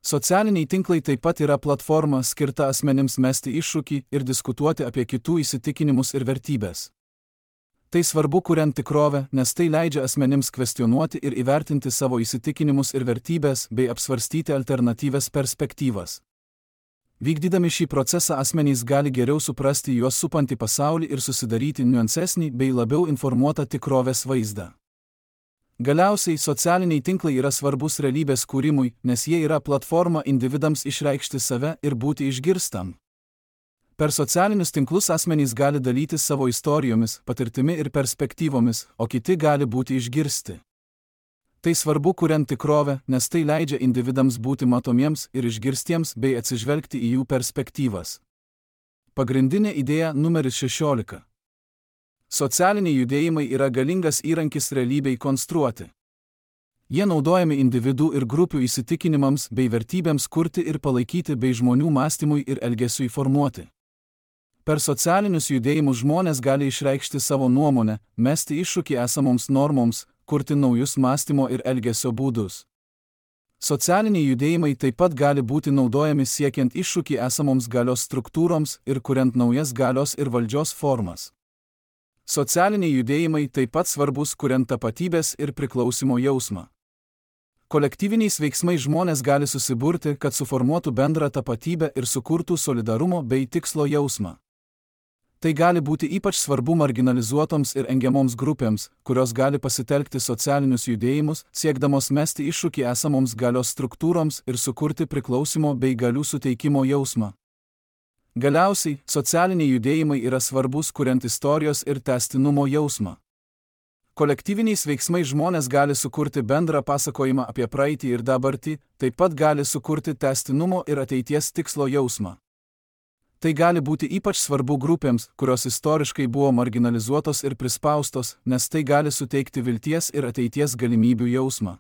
Socialiniai tinklai taip pat yra platforma skirta asmenims mesti iššūkį ir diskutuoti apie kitų įsitikinimus ir vertybės. Tai svarbu kuriant tikrovę, nes tai leidžia asmenims kvestionuoti ir įvertinti savo įsitikinimus ir vertybės bei apsvarstyti alternatyvias perspektyvas. Vykdydami šį procesą asmenys gali geriau suprasti juos supantį pasaulį ir susidaryti niuansesnį bei labiau informuotą tikrovės vaizdą. Galiausiai socialiniai tinklai yra svarbus realybės kūrimui, nes jie yra platforma individams išreikšti save ir būti išgirstam. Per socialinius tinklus asmenys gali dalytis savo istorijomis, patirtimi ir perspektyvomis, o kiti gali būti išgirsti. Tai svarbu kuriant tikrovę, nes tai leidžia individams būti matomiems ir išgirstiems bei atsižvelgti į jų perspektyvas. Pagrindinė idėja numeris šešiolika. Socialiniai judėjimai yra galingas įrankis realybei konstruoti. Jie naudojami individų ir grupių įsitikinimams bei vertybėms kurti ir palaikyti bei žmonių mąstymui ir elgesiui formuoti. Per socialinius judėjimus žmonės gali išreikšti savo nuomonę, mesti iššūkį esamoms normoms, kurti naujus mąstymo ir elgesio būdus. Socialiniai judėjimai taip pat gali būti naudojami siekiant iššūkį esamoms galios struktūroms ir kuriant naujas galios ir valdžios formas. Socialiniai judėjimai taip pat svarbus kuriant tapatybės ir priklausimo jausmą. Kolektyviniais veiksmais žmonės gali susiburti, kad suformuotų bendrą tapatybę ir sukurtų solidarumo bei tikslo jausmą. Tai gali būti ypač svarbu marginalizuotoms ir engiamoms grupėms, kurios gali pasitelkti socialinius judėjimus, siekdamos mesti iššūkį esamoms galios struktūroms ir sukurti priklausimo bei galių suteikimo jausmą. Galiausiai, socialiniai judėjimai yra svarbus kuriant istorijos ir tęstinumo jausmą. Kolektyviniais veiksmais žmonės gali sukurti bendrą pasakojimą apie praeitį ir dabartį, taip pat gali sukurti tęstinumo ir ateities tikslo jausmą. Tai gali būti ypač svarbu grupėms, kurios istoriškai buvo marginalizuotos ir prispaustos, nes tai gali suteikti vilties ir ateities galimybių jausmą.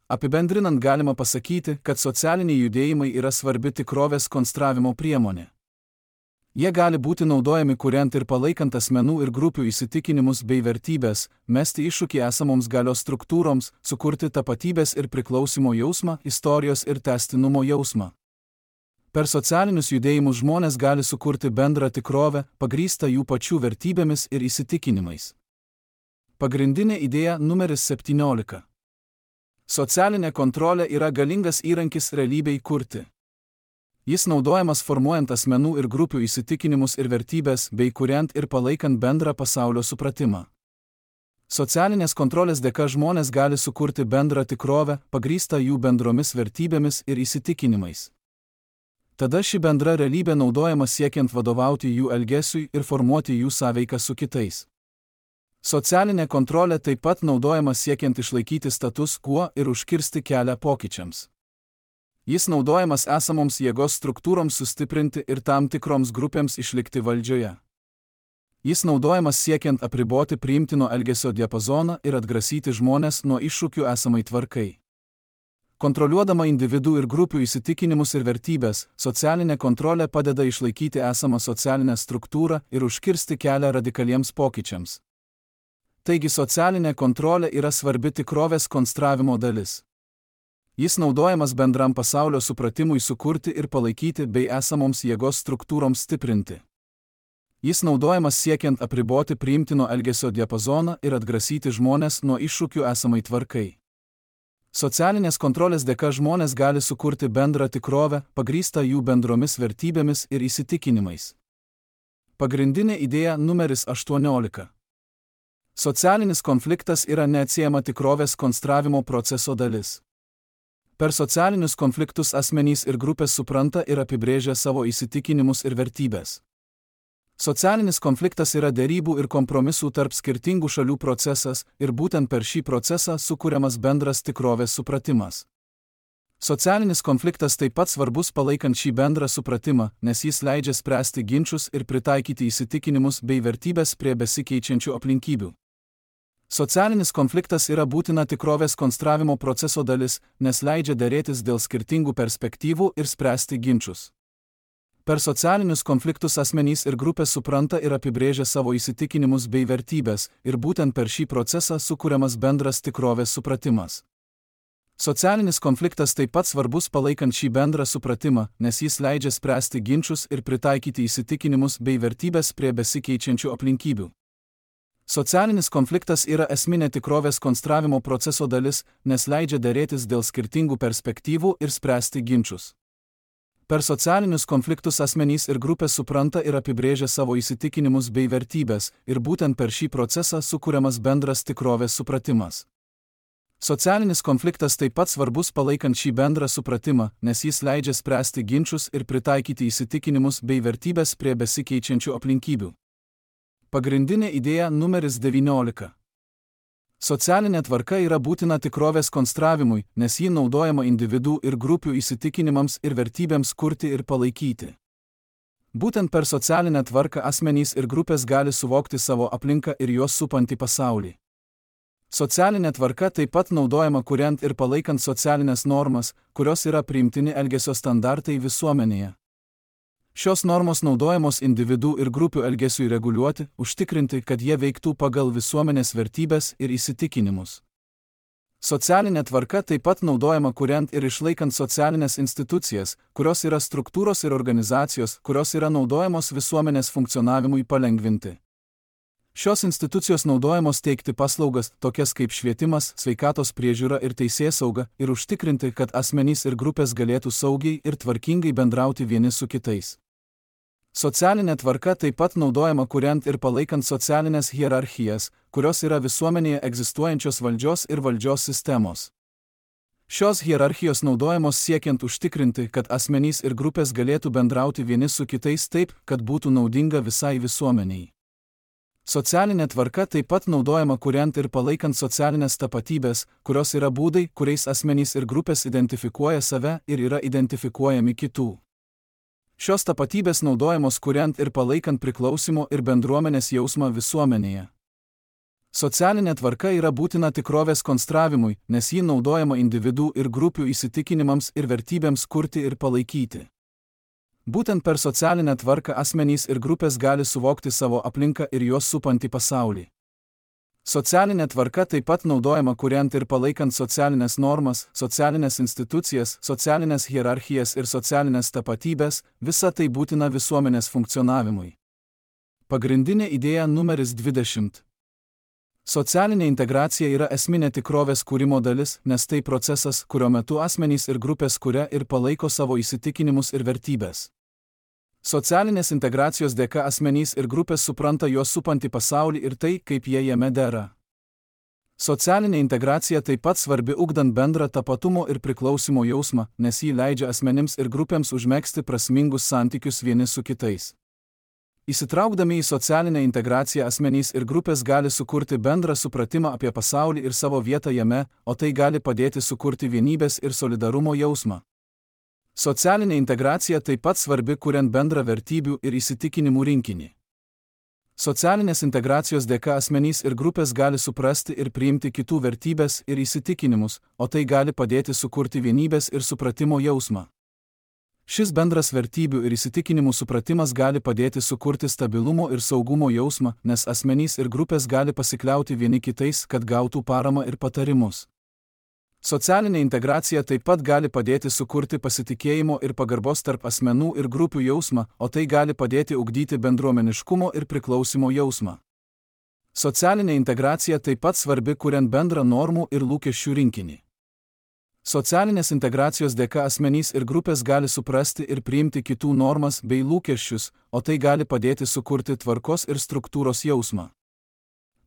Apibendrinant galima pasakyti, kad socialiniai judėjimai yra svarbi tikrovės konstravimo priemonė. Jie gali būti naudojami kuriant ir palaikant asmenų ir grupių įsitikinimus bei vertybės, mesti iššūkį esamoms galios struktūroms, sukurti tapatybės ir priklausimo jausmą, istorijos ir tęstinumo jausmą. Per socialinius judėjimus žmonės gali sukurti bendrą tikrovę, pagrįstą jų pačių vertybėmis ir įsitikinimais. Pagrindinė idėja numeris septyniolika. Socialinė kontrolė yra galingas įrankis realybei kurti. Jis naudojamas formuojant asmenų ir grupių įsitikinimus ir vertybės bei kuriant ir palaikant bendrą pasaulio supratimą. Socialinės kontrolės dėka žmonės gali sukurti bendrą tikrovę, pagrįstą jų bendromis vertybėmis ir įsitikinimais. Tada ši bendra realybė naudojama siekiant vadovauti jų elgesiui ir formuoti jų sąveiką su kitais. Socialinė kontrolė taip pat naudojama siekiant išlaikyti status quo ir užkirsti kelią pokyčiams. Jis naudojamas esamoms jėgos struktūroms sustiprinti ir tam tikroms grupėms išlikti valdžioje. Jis naudojamas siekiant apriboti priimtino elgesio diapazoną ir atgrasyti žmones nuo iššūkių esamai tvarkai. Kontroliuodama individų ir grupių įsitikinimus ir vertybės, socialinė kontrolė padeda išlaikyti esamą socialinę struktūrą ir užkirsti kelią radikaliems pokyčiams. Taigi socialinė kontrolė yra svarbi tikrovės konstravimo dalis. Jis naudojamas bendram pasaulio supratimui sukurti ir palaikyti bei esamoms jėgos struktūroms stiprinti. Jis naudojamas siekiant apriboti priimtino elgesio diapazoną ir atgrasyti žmones nuo iššūkių esamai tvarkai. Socialinės kontrolės dėka žmonės gali sukurti bendrą tikrovę, pagrįstą jų bendromis vertybėmis ir įsitikinimais. Pagrindinė idėja numeris aštuoniolika. Socialinis konfliktas yra neatsiejama tikrovės konstravimo proceso dalis. Per socialinius konfliktus asmenys ir grupės supranta ir apibrėžia savo įsitikinimus ir vertybės. Socialinis konfliktas yra derybų ir kompromisų tarp skirtingų šalių procesas ir būtent per šį procesą sukuriamas bendras tikrovės supratimas. Socialinis konfliktas taip pat svarbus palaikant šį bendrą supratimą, nes jis leidžia spręsti ginčus ir pritaikyti įsitikinimus bei vertybės prie besikeičiančių aplinkybių. Socialinis konfliktas yra būtina tikrovės konstravimo proceso dalis, nes leidžia derėtis dėl skirtingų perspektyvų ir spręsti ginčus. Per socialinius konfliktus asmenys ir grupės supranta ir apibrėžia savo įsitikinimus bei vertybės, ir būtent per šį procesą sukuriamas bendras tikrovės supratimas. Socialinis konfliktas taip pat svarbus palaikant šį bendrą supratimą, nes jis leidžia spręsti ginčus ir pritaikyti įsitikinimus bei vertybės prie besikeičiančių aplinkybių. Socialinis konfliktas yra esminė tikrovės konstravimo proceso dalis, nes leidžia derėtis dėl skirtingų perspektyvų ir spręsti ginčus. Per socialinius konfliktus asmenys ir grupės supranta ir apibrėžia savo įsitikinimus bei vertybės, ir būtent per šį procesą sukuriamas bendras tikrovės supratimas. Socialinis konfliktas taip pat svarbus palaikant šį bendrą supratimą, nes jis leidžia spręsti ginčus ir pritaikyti įsitikinimus bei vertybės prie besikeičiančių aplinkybių. Pagrindinė idėja numeris devyniolika. Socialinė tvarka yra būtina tikrovės konstravimui, nes ji naudojama individų ir grupių įsitikinimams ir vertybėms kurti ir palaikyti. Būtent per socialinę tvarką asmenys ir grupės gali suvokti savo aplinką ir juos supantį pasaulį. Socialinė tvarka taip pat naudojama kuriant ir palaikant socialinės normas, kurios yra priimtini elgesio standartai visuomenėje. Šios normos naudojamos individų ir grupių elgesiui reguliuoti, užtikrinti, kad jie veiktų pagal visuomenės vertybės ir įsitikinimus. Socialinė tvarka taip pat naudojama kuriant ir išlaikant socialinės institucijas, kurios yra struktūros ir organizacijos, kurios yra naudojamos visuomenės funkcionavimui palengvinti. Šios institucijos naudojamos teikti paslaugas, tokias kaip švietimas, sveikatos priežiūra ir teisėsauga, ir užtikrinti, kad asmenys ir grupės galėtų saugiai ir tvarkingai bendrauti vieni su kitais. Socialinė tvarka taip pat naudojama kuriant ir palaikant socialinės hierarchijas, kurios yra visuomenėje egzistuojančios valdžios ir valdžios sistemos. Šios hierarchijos naudojamos siekiant užtikrinti, kad asmenys ir grupės galėtų bendrauti vieni su kitais taip, kad būtų naudinga visai visuomeniai. Socialinė tvarka taip pat naudojama kuriant ir palaikant socialinės tapatybės, kurios yra būdai, kuriais asmenys ir grupės identifikuoja save ir yra identifikuojami kitų. Šios tapatybės naudojamos kuriant ir palaikant priklausimo ir bendruomenės jausmą visuomenėje. Socialinė tvarka yra būtina tikrovės konstravimui, nes ji naudojama individų ir grupių įsitikinimams ir vertybėms kurti ir palaikyti. Būtent per socialinę tvarką asmenys ir grupės gali suvokti savo aplinką ir juos supantį pasaulį. Socialinė tvarka taip pat naudojama kuriant ir palaikant socialinės normas, socialinės institucijas, socialinės hierarchijas ir socialinės tapatybės, visa tai būtina visuomenės funkcionavimui. Pagrindinė idėja numeris dvidešimt. Socialinė integracija yra esminė tikrovės kūrimo dalis, nes tai procesas, kurio metu asmenys ir grupės kuria ir palaiko savo įsitikinimus ir vertybės. Socialinės integracijos dėka asmenys ir grupės supranta juos supantį pasaulį ir tai, kaip jie jame dera. Socialinė integracija taip pat svarbi ugdant bendrą tapatumo ir priklausimo jausmą, nes jį leidžia asmenims ir grupėms užmegzti prasmingus santykius vieni su kitais. Įsitraukdami į socialinę integraciją asmenys ir grupės gali sukurti bendrą supratimą apie pasaulį ir savo vietą jame, o tai gali padėti sukurti vienybės ir solidarumo jausmą. Socialinė integracija taip pat svarbi kuriant bendrą vertybių ir įsitikinimų rinkinį. Socialinės integracijos dėka asmenys ir grupės gali suprasti ir priimti kitų vertybės ir įsitikinimus, o tai gali padėti sukurti vienybės ir supratimo jausmą. Šis bendras vertybių ir įsitikinimų supratimas gali padėti sukurti stabilumo ir saugumo jausmą, nes asmenys ir grupės gali pasikliauti vieni kitais, kad gautų paramą ir patarimus. Socialinė integracija taip pat gali padėti sukurti pasitikėjimo ir pagarbos tarp asmenų ir grupių jausmą, o tai gali padėti ugdyti bendruomeniškumo ir priklausimo jausmą. Socialinė integracija taip pat svarbi kuriant bendrą normų ir lūkesčių rinkinį. Socialinės integracijos dėka asmenys ir grupės gali suprasti ir priimti kitų normas bei lūkesčius, o tai gali padėti sukurti tvarkos ir struktūros jausmą.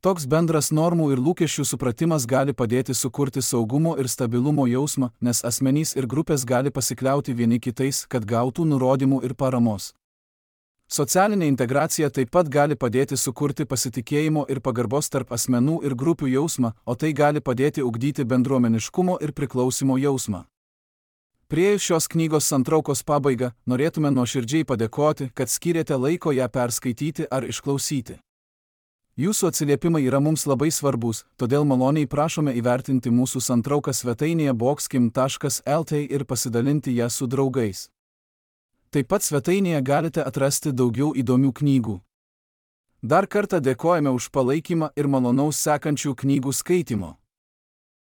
Toks bendras normų ir lūkesčių supratimas gali padėti sukurti saugumo ir stabilumo jausmą, nes asmenys ir grupės gali pasikliauti vieni kitais, kad gautų nurodymų ir paramos. Socialinė integracija taip pat gali padėti sukurti pasitikėjimo ir pagarbos tarp asmenų ir grupių jausmą, o tai gali padėti ugdyti bendruomeniškumo ir priklausimo jausmą. Priėjus šios knygos santraukos pabaigą, norėtume nuoširdžiai padėkoti, kad skyrėte laiko ją perskaityti ar išklausyti. Jūsų atsiliepimai yra mums labai svarbus, todėl maloniai prašome įvertinti mūsų santrauką svetainėje boxkim taškas el t ir pasidalinti ją su draugais. Taip pat svetainėje galite atrasti daugiau įdomių knygų. Dar kartą dėkojame už palaikymą ir malonaus sekančių knygų skaitimo.